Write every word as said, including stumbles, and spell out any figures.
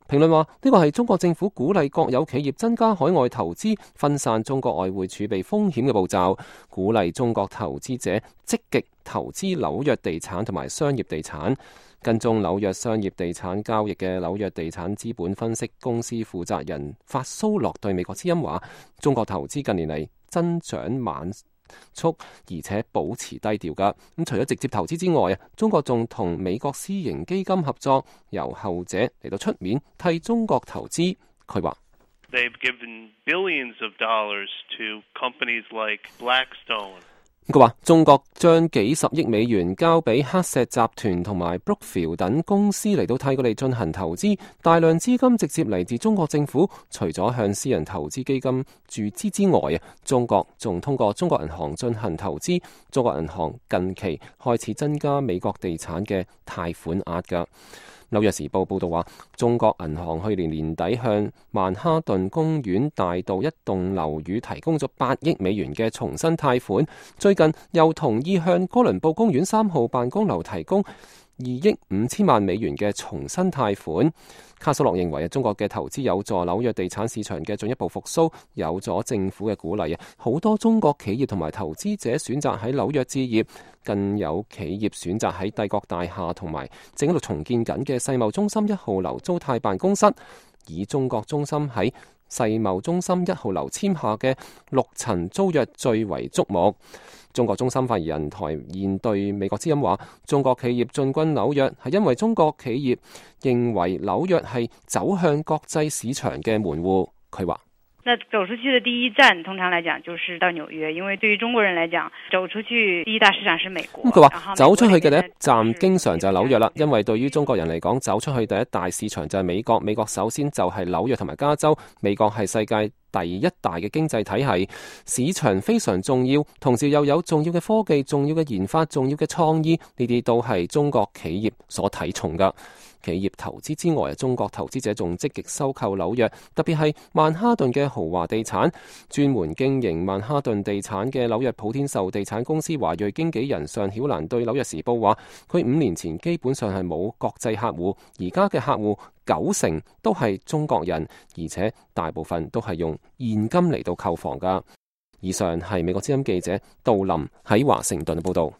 評論話呢個係中國政府鼓勵國有企業增加海外投資、分散中國外匯儲備風險嘅步驟，鼓勵中國投資者積極投資紐約地產同埋商業地產。跟蹤紐約商業地產交易嘅紐約地產資本分析公司負責人法蘇洛對美國之音話：中國投資近年嚟增長慢速，而且保持低調噶。咁除咗直接投資之外啊，中國仲同美國私營基金合作，由後者嚟到出面替中國投資。佢話：They've given billions of dollars to companies like Blackstone。佢話中國將幾十億美元交俾黑石集團同埋 Brookfield 等公司嚟到替佢哋進行投資，大量資金直接嚟自中國政府。除咗向私人投資基金注資之外啊，中國仲通過中國銀行進行投資。中國銀行近期開始增加美國地產嘅貸款額㗎。紐約時報報道話，中國銀行去年年底向曼哈頓公園大道一棟樓宇提供咗八億美元嘅重新貸款，最近又同意向哥倫布公園三號辦公樓提供二億五千萬美元嘅重新貸款。卡索洛認為啊，中國嘅投資有助紐約地產市場嘅進一步復甦，有咗政府嘅鼓勵啊，好多中國企業同埋投資者選擇喺紐約置業，更有企業選擇喺帝國大廈同埋正喺度重建緊嘅世貿中心一號樓租貸辦公室，以中國中心喺世貿中心一號樓簽下嘅六層租約最為矚目。中國中心發言人台現對美國之音話：中國企業進軍紐約係因為中國企業認為紐約係走向國際市場嘅門戶。佢話：那走出去的第一站，通常來講就是到紐約，因為對於中國人來講，走出去第一大市場是美國。咁佢話走出去嘅第一站經常就係紐約啦，因為對於中國人嚟講，走出去第一大市場就係美國。美國首先就係紐約同埋加州，美國係世界第一大嘅經濟體系，市場非常重要，同時又有重要嘅科技、重要嘅研發、重要嘅創意，呢啲都係中國企業所睇重噶。企業投資之外，中國投資者仲積極收購紐約，特別係曼哈頓嘅豪華地產。專門經營曼哈頓地產嘅紐約普天壽地產公司華裔經紀人尚曉蘭對紐約時報話：佢五年前基本上係冇國際客戶，而家嘅客戶九成都係中國人，而且大部分都係用現金嚟到購房噶。以上係美國之音記者杜林喺華盛頓嘅報道。